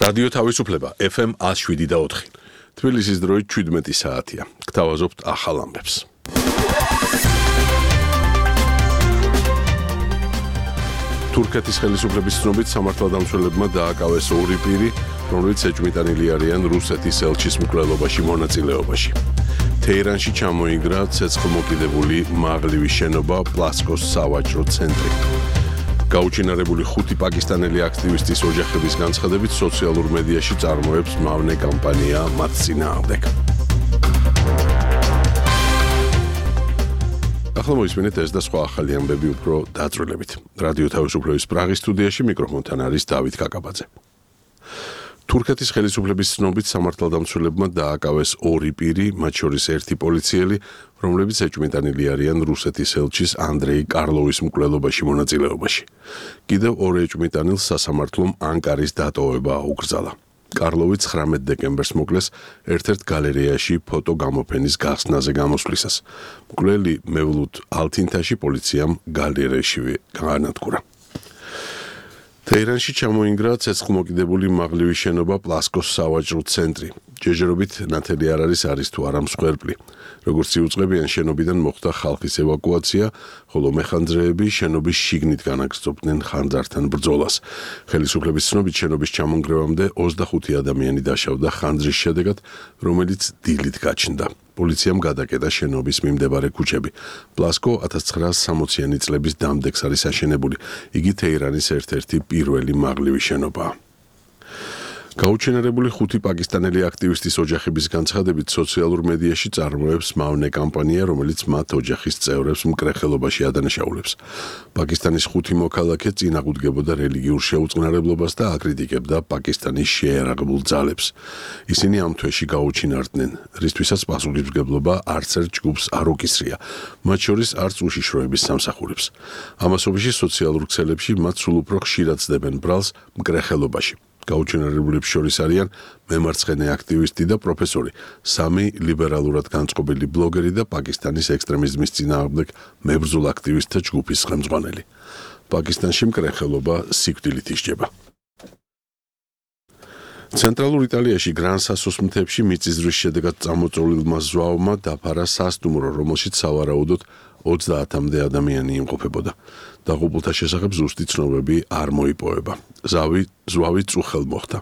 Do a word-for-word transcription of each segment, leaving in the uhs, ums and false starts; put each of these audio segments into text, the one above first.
რადიო თავისუფლება ეფ ემ one oh seven და four. თბილისის დროით seventeen საათია. გთავაზობთ ახალ ამბებს. თურქეთის ხელისუფლების ცნობით სამართალდამცველებმა დააკავეს ორი პირი, რომლებიც ეჭვმიტანილი არიან რუსეთის ელჩის მკვლელობაში მონაწილეობაში. თეირანში ჩამოინგრა ცეცხლმოკიდებული მაღლივი შენობა პლასკოს სავაჭრო ცენტრი. გაუჩინარებული ხუთი პაკისტანელი აქტივისტის ოჯახების განცხადებით სოციალურ მედიაში წარმოებს მავნე კამპანია მათ წინააღმდეგ. ახლა მოისმინეთ ეს და სხვა ახალი ამბები უფრო დაწვრილებით. რადიო თავისუფლების პრაღის სტუდიაში მიკროფონთან არის დავით კაკაბაძე. თურქეთის ხელისუფლების ცნობით სამართალდამცველებმა დააკავეს ორი პირი, მათ შორის ერთი პოლიციელი, რომლებიც ეჭვმიტანილი არიან რუსეთის ელჩის ანდრეი კარლოვის მკვლელობაში მონაწილეობაში. კიდევ ორ ეჭვმიტანილს სასამართლომ ანკარის დატოვება აუკრძალა. კარლოვი ცხრამეტ დეკემბერს მოკლეს ერთ-ერთ გალერეაში ფოტო გამოფენის გახსნაზე გამოსვლისას. მკვლელი მევლუდ ალთინთაში პოლიციამ გალერეაშივე გაანადგურა. თეირანში ჩამოინგრა ცეცხლმოკიდებული მაღლივი შენობა პლასკოს სავაჭრო ცენტრი. ჯეჯერობით ნათელი არ არის არის თუ არა მსხვერპლი. როგორც იუწყებიან, შენობიდან მოხდა ხალხის ევაკუაცია, ხოლო მეხანძრეები შენობის შიგნით განაგრძობდნენ ხანძართან ბრძოლას. ხელისუფლების ცნობით შენობის ჩამონგრევამდე ოცდახუთი ადამიანი დაშავდა ხანძრის შედეგად, რომელიც დილით გაჩნდა. პოლიციამ გადაკეტა შენობის მიმდებარე ქუჩები. პლასკო ათას ცხრაასი სამოციანი წლების დამდეგს არის აშენებული. იგი თეირანის ერთ-ერთი პირველი მაღლივი შენობაა. გაუჩინარებული ხუთი პაკისტანელი აქტივისტის ოჯახების განცხადებით სოციალურ მედიაში წარმოებს მავნე კამპანია, რომელიც მათ ოჯახის წევრებს მკრეხელობაში ადანაშაულებს. პაკისტანის ხუთი მოქალაქე წინააღმდეგებოდა რელიგიურ შეუწყნარებლობას და აკრიტიკებდა პაკისტანის შეიარაღებულ ძალებს. ისინი ამ თვეში გაუჩინარდნენ, რისთვისაც პასუხისმგებლობა არც ერთ ჯგუფს არ უკისრია, მათ შორის არც უშიშროების სამსახურებს. ამასობაში სოციალურ ქსელებში მათ სულ უფრო ხშირად ცდებენ ბრალს მკრეხელობაში. გაუჩინარებლებს შორის არიან მემარცხენე აქტივისტი და პროფესორი, სამი ლიბერალურად განწყობილი ბლოგერი და პაკისტანის ექსტრემიზმის წინააღმდეგ მებრძოლ აქტივისტთა ჯგუფის ხელმძღვანელი. პაკისტანში მკრეხელობა სიკვდილით ისჯება. ცენტრალურ იტალიაში გრან-სასოს მთებში მიწისძვრის შედეგად წამოწოლილმა ზვავმა დაფარა სასტუმრო, რომელშიც სავარაუდოდ ოცდაათამდე ადამიანი იმყოფებოდა. დაღუპულთა შესახებ ზუსტი ცნობები არ მოიპოვება. ზავი ზვავი წუხელ მოხდა.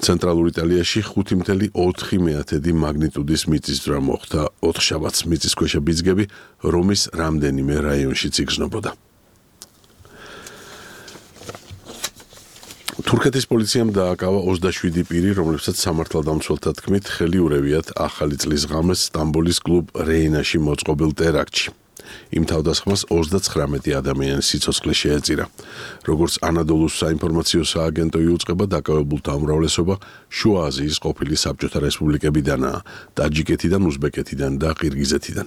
ცენტრალურ იტალიაში ხუთი მცდე ოთხი მეათედი მაგნიტუდის მიწისძვრა მოხდა. ოთხშაბათს მიწისქვეშა ბიძგები რომის რამდენიმე რაიონშიც იგრძნობოდა. თურქეთის პოლიციამ დააკავა ოცდაშვიდი პირი, რომლებსაც სამართალდამცველთა თქმით ხელი ურევიათ ახალი წლის ღამეს სტამბოლის კლუბ რეინაში მოწყობილ ტერაქტში. იმ თავდასხმას ოცდაცხრამეტი ადამიანის სიცოცხლე შეეწირა. როგორც ანადოლუს საინფორმაციო სააგენტო იუწყება, დაკავებულთა უმრავლესობა შუა აზიის ყოფილი საბჭოთა რესპუბლიკებიდანაა, ტაჯიკეთიდან, უზბეკეთიდან და ყირგიზეთიდან.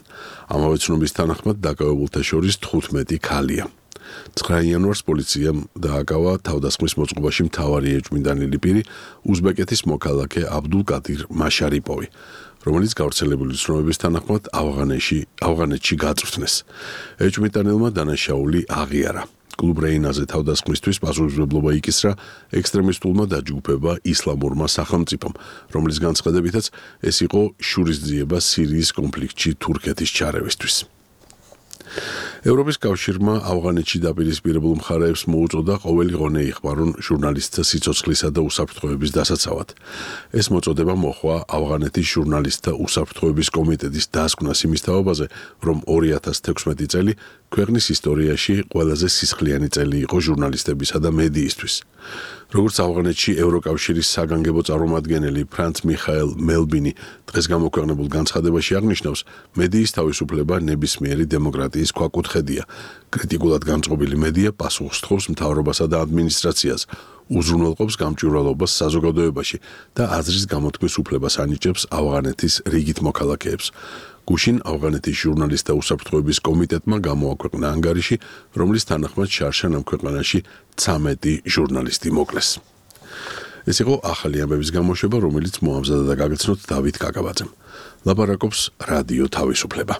ამავე ცნობის თანახმად დაკავებულთა შორის თხუთმეტი ქალია. ცხრა იანვარს პოლიციამ დააკავა თავდასხმის მოწყობაში მთავარი ეჭვმიტანილი პირი, უზბეკეთის მოქალაქე აბდულკადირ მაშარიპოვი, რომელიც გავრცელებული ცნობების თანახმად ავღანეთში ავღანეთში გაწვრთნეს. ეჭვმიტანილმა დანაშაული აღიარა. კლუბ რეინაზე თავდასხმისთვის პასუხისმგებლობა იკისრა ექსტრემისტულმა დაჯგუფება ისლამურმა სახელმწიფომ, რომლის განცხადებითაც ეს იყო შურისძიება სირიის კონფლიქტში თურქეთის ჩარევისთვის. ევროპის კავშირმა ავღანეთში დაპირისპირებულ მხარეებს მოუწოდა ყოველი ღონე იხმარონ ჟურნალისტთა სიცოცხლისა და უსაფრთხოების დასაცავად. ეს მოწოდება მოხვა ავღანეთის ჟურნალისტთა უსაფრთხოების კომიტეტის დასკვნას იმის თაობაზე, რომ ორი ათას თექვსმეტი წელი ქვეყნის ისტორიაში ყველაზე სისხლიანი წელი იყო ჟურნალისტებისა და მედიისთვის. როგორც ავღანეთში ევროკავშირის საგანგებო წარმომადგენელი ფრანც მიხაელ მელბინი დღეს გამოქვეყნებულ განცხადებაში აღნიშნავს, მედიის თავისუფლება ნებისმიერი დემოკრატიის ქვაკუთხედია. კრიტიკულად განწყობილი მედია პასუხს თხოვს მთავრობასა და ადმინისტრაციას, უზრუნველყოფს გამჭვირვალობას საზოგადოებაში და აზრის გამოთქმის უფლებას ანიჭებს ავღანეთის რიგით მოქალაქეებს. გუშინ ავღანეთის ჟურნალისტთა უსაფრთხოების კომიტეტმა გამოაქვეყნა ანგარიში, რომლის თანახმად შარშან ამ ქვეყანაში ცამეტი ჟურნალისტი მოკლეს. ეს იყო ახალი ამბების გამოშვება, რომელიც მოამზადა და გაგაცნოთ დავით კაკაბაძემ. ლაპარაკობს რადიო თავისუფლება.